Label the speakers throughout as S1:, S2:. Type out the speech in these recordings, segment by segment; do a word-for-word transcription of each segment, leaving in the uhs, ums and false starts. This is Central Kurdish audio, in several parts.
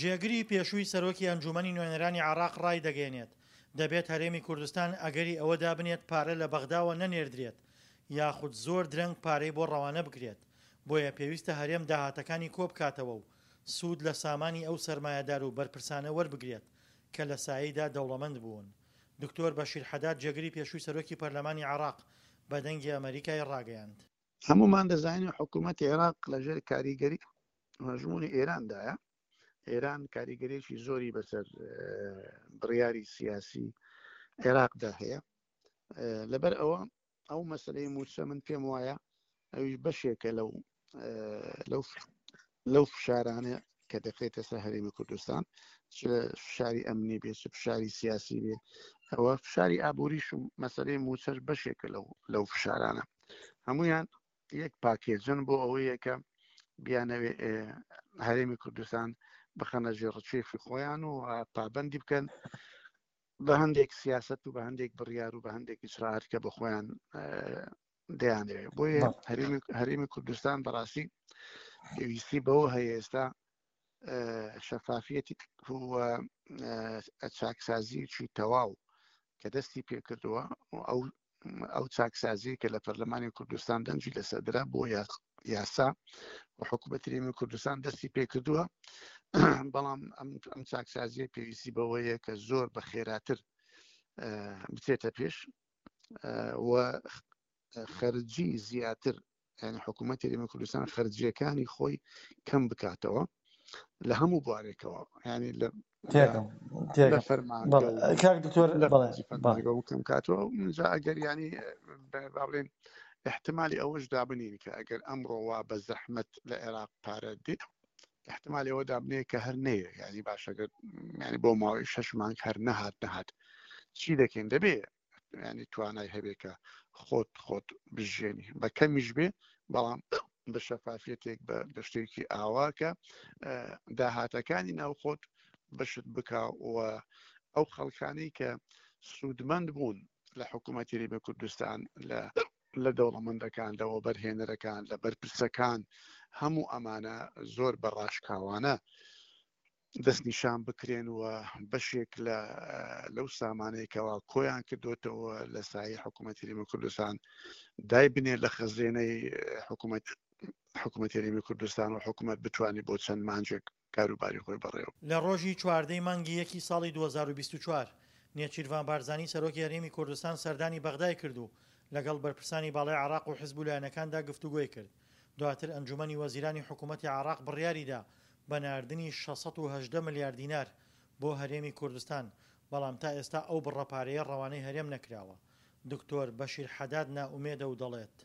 S1: جێگری پێشووی سەرۆکی ئەنجوومەنی نوێنەرانی عێراق ڕایدەگەیەنێت، دەبێت هەرێمی کوردستان ئەگەری ئەوە دابنێت پارە لە بەغداوە نەنێردرێت یاخود زۆر درەنگ پارەی بۆ ڕەوانە بکرێت، بۆیە پێویستە هەرێم داهاتەکانی کۆبکاتەوە و سوود لە سامانی ئەو سەرمایەدار و بەرپرسانە وەربگرێت کە لە سایەیدا دەوڵەمەند بوون. دکتۆر بەشیر حەداد جێگری پێشووی سەرۆکی پەرلەمانی عێراق بە دەنگی ئەمەریکای ڕاگەیاند.
S2: هەمومان دەزانین حکوومەتی عێراق لەژێر کاریگەری هەژمونی ئێراندایە. ئێران کاریگەریی زۆری بەسەر بڕیاری سیاسی عێراقدا هەیە. لەبەر ئەوە ئەو مەسلەی موچە من پێم وایە ئەویش بەشێکە لەو لەو لەو فشارانە کە دەکرێتە سەر هەرێمی کوردستان، چ فشاری ئەمنی بێ چ فشاری سیاسی بێ، ئەوە فشاری ئابووریش و مەسلەی موچەش بەشێکە لەو لەو فشارانە. هەمویان یەک پاکێجن بۆ ئەوەیە کە بیانەوێ هەرێمی کوردستان بخەنە ژێر ڕچێفی خۆیان و پابندی بکەن بە هەندێک سیاست و بە هەندێک بڕیار و بە هەندێک ئیجرائات کە بە خۆیان دەیانەوێت. بۆیە هەرێمی کوردستان بەڕاستی پێویستی بەوە هەیە ئێستا شەفافیەتی و چاکسازیی تەواو کە دەستی پێکردووە ئەو ئەو چاکسازی کە لە پەرلەمانی کوردستان دەنگی لەسەردرا بۆ یاسا و حکوومەتی هەرێمی کوردستان دەستی پێکردووە، بەڵام ئەم چاکسازیە پێویستی بەوەیە کە زۆر بە خێراتر بچێتە پێش و خەرجی زیاتر، یعنی حکوومەتی هەرێمی کوردستان خەرجیەکانی خۆی کەم بکاتەوە لە هەموو بوارێکەوە، یعنی لە لە فەرمانگە کەم کاتەوە. جا ئەگەر ینی با بڵێن احتمالی ئەوەش دابنین کە ئەگەر ئەمڕۆ وا بە زەحمەت لە عێراق پارە دێت، احتمالی ئەوە دابنێ کە هەر نەیە، یعنی باشەگەر ینی بۆ ماوەی شەش مانگ هەر نەهات نەهات چی دەکەین؟ دەبێ ینی توانای هەبێ کە خۆت خۆت بژێنی بە کەمیش بێ، بەڵام بە شەفافیەتێک بە شتێکی ئاوا کە داهاتەکانی ناوخۆت بەشت بکا و ئەو خەڵکانی کە سوودمەند بوون لە حکوومەتی هەرێمی کوردستان، لە لە دەوڵەمەندەکان، لە وەبەرهێنەرەکان، لە بەرپرسەکان، هەموو ئەمانە زۆر بە ڕاشکاوانە دەستنیشان بکرێن و بەشێک لە لەو سامانەیەکەوە کۆیان کردوتەوە لە سایەی حکوومەتی هەرێمی کوردستان دای بنێ لە خەزێنەی حکوومەت حکوومەتی هەرێمی کوردستان و حکوومەت بتوانێت بۆ چەند مانجێک کاروباری خۆی بەڕێوە.
S1: لە ڕۆژی چواردەی مانگی یەکی ساڵی دوو هەزار و بیست و چوار نێچیرڤان بارزانی سەرۆکی هەرێمی کوردستان سەردانی بەغدای کرد و لەگەڵ بەرپرسانی باڵای عێراق و حزب و لایەنەکاندا گفتوگۆی کرد. دواتر ئەنجومەنی وەزیرانی حکوومەتی عێراق بڕیاریدا بە ناردنی شەش سەد و هەژدە ملیار دینار بۆ هەرێمی کوردستان، بەڵام تا ئێستا ئەو بڕە پارەیە ڕەوانەی هەرێم نەکراوە. دکتۆر بەشیر حەداد نائومێدە و دەڵێت: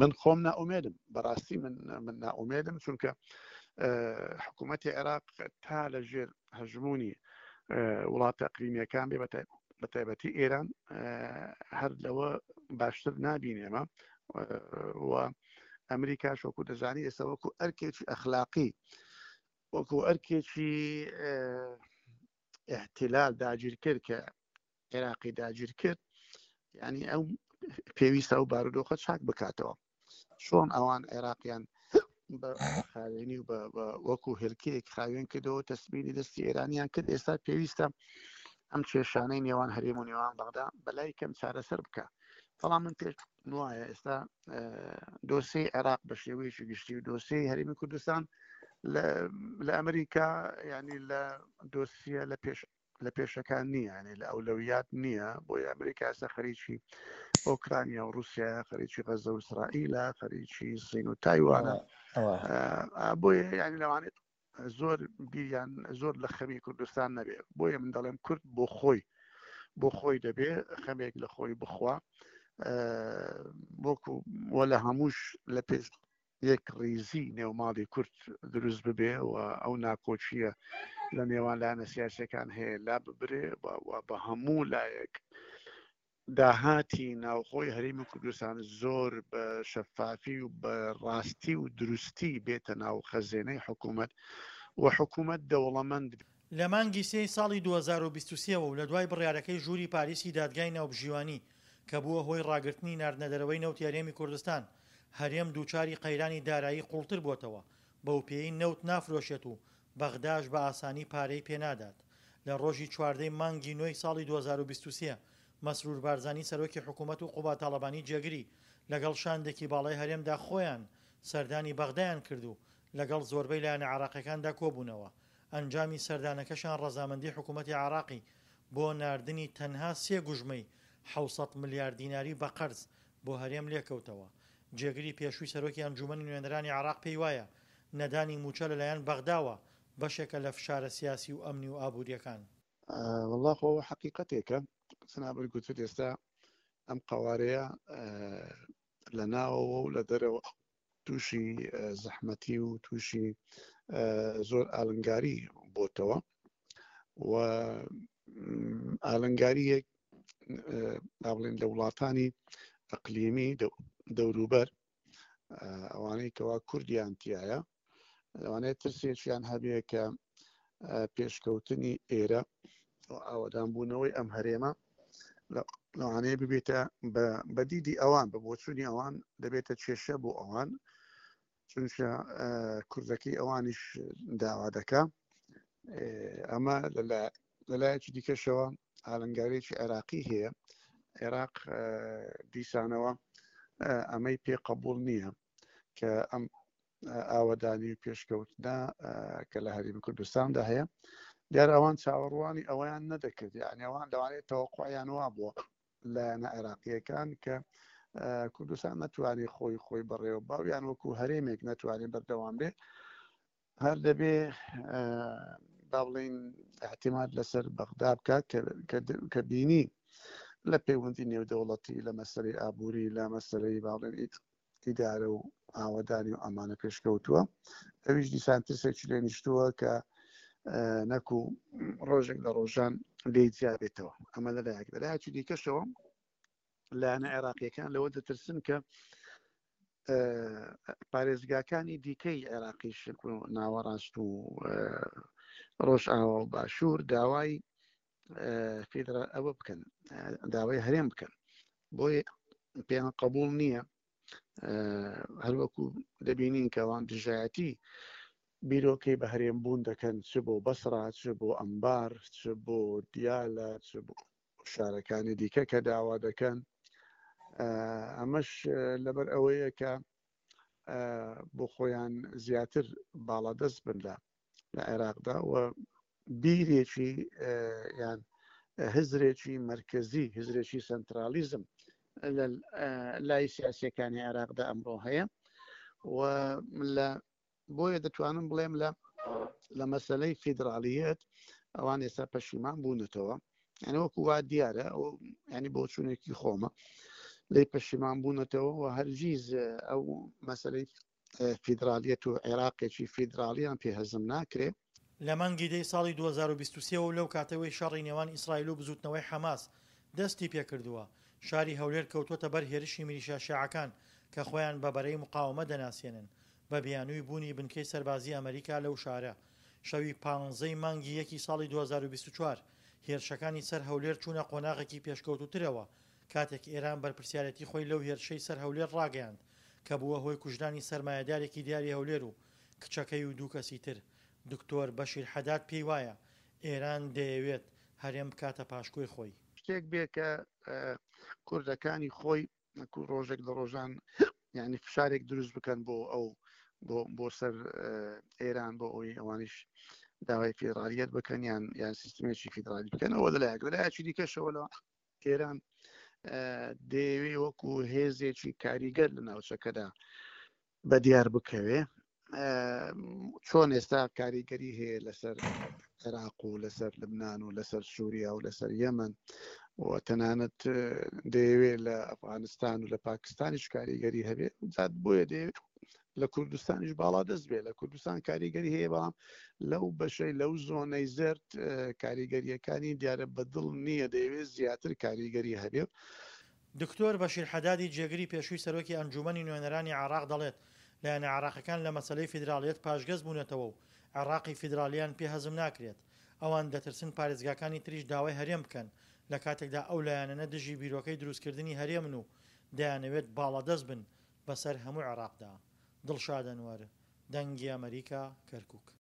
S2: من خۆم نائومێدم، بەڕاستی من من نائومێدم، چونکە حکوومەتی عێراق تا لەژێر هەژمونی وڵاتە ئەقلیمیەکان بێ، بە تایبەتی ئێران، هەر لەوە باشتر نابینێمە. و ئەمریکاش وەکو دەزانی ئێستا وەکو ئەرکێکی ئەخلاقی، وەکو ئەرکێکی احتلال داگیر کرد کە عێراقی داگیر کرد، یعنی ئەو پێویستە ئەو بارودۆخە چاک بکاتەوە. چۆن ئەوان عێراقیان بە خاوێنی و وەکو هێلکەیەک خاوێن کردەوە، تەسمیری دەستی ئێرانیان کرد، ئێستا پێویستە ئەم کێشانەی نێوان هەرێم و نێوان بەغدا بەلای کەم چارەسەر بکە. بەڵام من پێش وایە ئێستا دۆسیەی عێراق بە شێوەیەکی گشتی و دۆسیەی هەرێمی کوردستان لە ئەمریکا، ینی لە دۆسیە لە پێش لە پێشەکان نییە، ینی لە ئەولەویات نییە. بۆیە ئەمریکا ئێستا خەریکی ئۆکرانیا و رووسیا، خەریکی غەزە و ئیسرائیلە، خەریکی سین و تایوانە. بۆیە ینی لەوانێت زۆر بیریان زۆر لە خەمی کوردستان نەبێ. بۆیە من دەڵێم کورد بۆ خۆی بۆ خۆی دەبێ خەمێک لە خۆی بخوا، وەکو وە لە هەمووش لە پێش یەک ڕیزی نێوماڵی کورد دروست ببێ و ئەو ناکۆچیە لە نێوان لایەنە سیاسیەکان هەیە لا ببرێ و بە هەموو لایەک داهاتی ناوخۆی هەرێمی کوردستان زۆر بە شەفافی و بە ڕاستی و دروستی بێتە ناو خەزێنەی حکوومەت و حکوومەت دەوڵەمەند.
S1: لە مانگی سێی ساڵی دوو هەزار و بیست و سێ و لە دوای بڕیارەکەی ژووری پاریسی دادگای ناوبژیوانی کە بووە هۆی ڕاگرتنی ناردنەدەرەوەی نەوتی هەرێمی کوردستان، هەرێم دووچاری قەیرانی دارایی قوڵتر بۆتەوە، بەو پێی نەوت نافرۆشێت و بەغداش بە ئاسانی پارەی پێنادات. لە ڕۆژی چواردەی مانگی نۆی ساڵی دوو هەزار و بیست و سێ مەسرور بارزانی سەرۆکی حکوومەت و قوباد تاڵەبانی جێگری لەگەڵ شاندێکی باڵای هەرێمدا خۆیان سەردانی بەغدایان کرد و لەگەڵ زۆربەی لایەنە عێراقیەکاندا کۆبوونەوە. ئەنجامی سەردانەکەشان ڕەزامەندی حکوومەتی عێراقی بۆ ناردنی تەنها سێ گوژمەی حەوت سەد ملیار دیناری بە قەرز بۆ هەرێم لێکەوتەوە. جێگری پێشووی سەرۆکی ئەنجوومەنی نوێنەرانی عێراق پێی وایە نەدانی مووچە لەلایەن بەغداوە بەشێکە لە فشارە سیاسی و ئەمنی و ئابووریەکان.
S2: وەڵا خۆ ئەوە حەقیقەتێکە جەنابت گوتت ئێستا ئەم قەوارەیە لە ناوەوە و لە دەرەوە تووشی زەحمەتی و تووشی زۆر ئالنگاری بۆتەوە و ئالنگاریەک با بڵێن لە وڵاتانی ئەقلیمی دەوروبەر ئەوانەی کەوا کوردیان تایە لەوانەیە ترسێکیان هەبێ کە پێشکەوتنی ئێرە ئاوەدانبوونەوەی ئەم هەرێمە لەوانەیە ببێتە بە دیدی ئەوان بە بۆچوونی ئەوان دەبێتە کێشە بۆ ئەوان، چونکە کوردەکەی ئەوانیش داوا دەکا. ئەمە لەلایەکی دیکەشەوە ئالنگاریەکی عێراقی هەیە. عێراق دیسانەوە ئەمەی پێ قبول نییە کە ئەم ئاوەدانی و پێشکەوتنە کە لە هەرێمی کوردستاندا هەیە. دیار ئەوان چاوەڕوانی ئەوەیان نەدەکرد، یعنی ئەوان لەوانەیە تەوەقعیان وا بووە لایەنە عێراقیەکان کە کوردستان نەتوانێت خۆی خۆی بەڕێوە باویان وەکو هەرێمێک نەتوانێت بەردەوام بێ، هەر دەبێ با بڵێین احتیمال لەسەر بەغدا بکات کە بینی لە پەیوەندی نێودەوڵەتی لە مەسەلەی ئابووری لە مەسەلەی با بڵێن ئیدارە و ئاوەدانی و ئەمانە پێشکەوتووە. ئەویش دیسان ترسێکی لێ نیشتووە کە نەکو ڕۆژێک لە ڕۆژان لێی جیابێتەوە. ئەمە لەلایەک. لەلایەکی دیکەشەوە لایەنە عێراقیەکان لەوە دەترسن کە پارێزگاکانی دیکەی عێراقیش ناوەڕاست و ڕۆژئاوا و باشوور داوای فیدرال ئەوە بکەن، داوای هەرێم بکەن. بۆیە پێیان قبول نییە. هەروەکو دەبینین کە ئەوان دژایەتی بیرۆکەی بە هەرێم بوون دەکەن، چ بۆ بەسرا، چ بۆ ئەمبار، چ بۆ دیالە، چ بۆ شارەکانی دیکە کە داوا دەکەن. ئەمەش لەبەر ئەوەیە کە بۆ خۆیان زیاتر باڵادەست بن لە لە عێراقدا و بیرێکی یان هزرێکی مرکزی، هزرێکی سنترالیزم لە لای سیاسیەکانی عێراقدا ئەمڕۆ هەیە و لە بۆیە دەتوانم بڵێم لە لە مەسلەی فیدرالیەت ئەوان ئێستا پەشیمان بوونەتەوە. یعنی وەکو وا دیارە، ینی بۆچوونێکی خۆمە، لی پەشیمان بوونەتەوە و هەرگیز ئەو مەسلەی فیدرالیەت و عێراقێکی فیدرالیان پێ هەزم ناکرێ.
S1: لە مانگی دەی ساڵی دوو هەزار و بیست و سێ و لەو کاتەوەی شەڕی نێوان ئیسرائیل و بزوتنەوەی حەماس دەستی پێکردووە، شاری هەولێر کەوتووەتە بەر هێرشی میلیشیا شیعەکان کە خۆیان بە بەرەی مقاومە دەناسێنن بە بیانووی بوونی بنکەی سەربازی ئەمریکا لەو شارە. شەوی پانزەی مانگی یەکی ساڵی دوو هەزار و بیست و چوار هێرشەکانی سەر هەولێر چوونە قۆناغێکی پێشکەوتوترەوە کاتێک ئێران بەرپرسیارەتی خۆی لەو هێرشەی سەر هەولێر ڕاگەیاند کە بووە هۆی کوژرانی سەرمایەدارێکی دیاری هەولێر و کچەکەی و دوو کەسی تر. دکتۆر بەشیر حەداد پێی وایە ئێران دەیەوێت هەرێم بکاتە پاشکۆی خۆی.
S2: شتێک بێ کە کوردەکانی خۆی ڕۆژێک لە ڕۆژان یعنی فشارێک دروست بکەن بۆ ئەو بۆ بۆ سەر ئێران بۆ ئەوەی ئەوانیش داوای فیدرالیەت بکەن یان یان سیستمێکی فیدرالی بکەن. ئەوە لەلایەک. لەلایەکی دیکەشەوە لە ئێران دەیەوێ وەکو هێزێکی کاریگەر لە ناوچەکەدا بە دیار بکەوێ. چۆن ئێستا کاریگەری هەیە لەسەر عێراق و لەسەر لبنان و لەسەر سووریا و لەسەر یەمەن و تەنانەت دەیەوێت لە ئەفغانستان و لە پاکستانیش کاریگەری هەبێ، زیاد بۆیە دەیەوێت لە کوردستانیش باڵا دەست بێ. لە کوردستان کاریگەری هەیە، بەڵام لەو بەشەی لەو زۆنەی زەرد کاریگەریەکانی دیارە بەدڵ نییە، دەیەوێت زیاتر کاریگەری هەبێ.
S1: دکتۆر بەشیر حەدادی جێگری پێشووی سەرۆکی ئەنجومەنی نوێنەرانی عێراق دەڵێت لایەنە عێراقەکان لە مەسەلەی فیدراڵیەت پاشگەز بوونەتەوە و عێراقی فیدرالیان پێ هەزم ناکرێت. ئەوان دەترسن پارێزگاکانی تریش داوای هەرێم بکەن لە کاتێکدا ئەو لایەنانە دژی بیرۆکەی دروستکردنی هەرێمن و دەیانەوێت باڵادەست بن بەسەر هەموو عێراقدا. دڵشاد ئەنوەر، دەنگی ئەمریکا، کەرکک.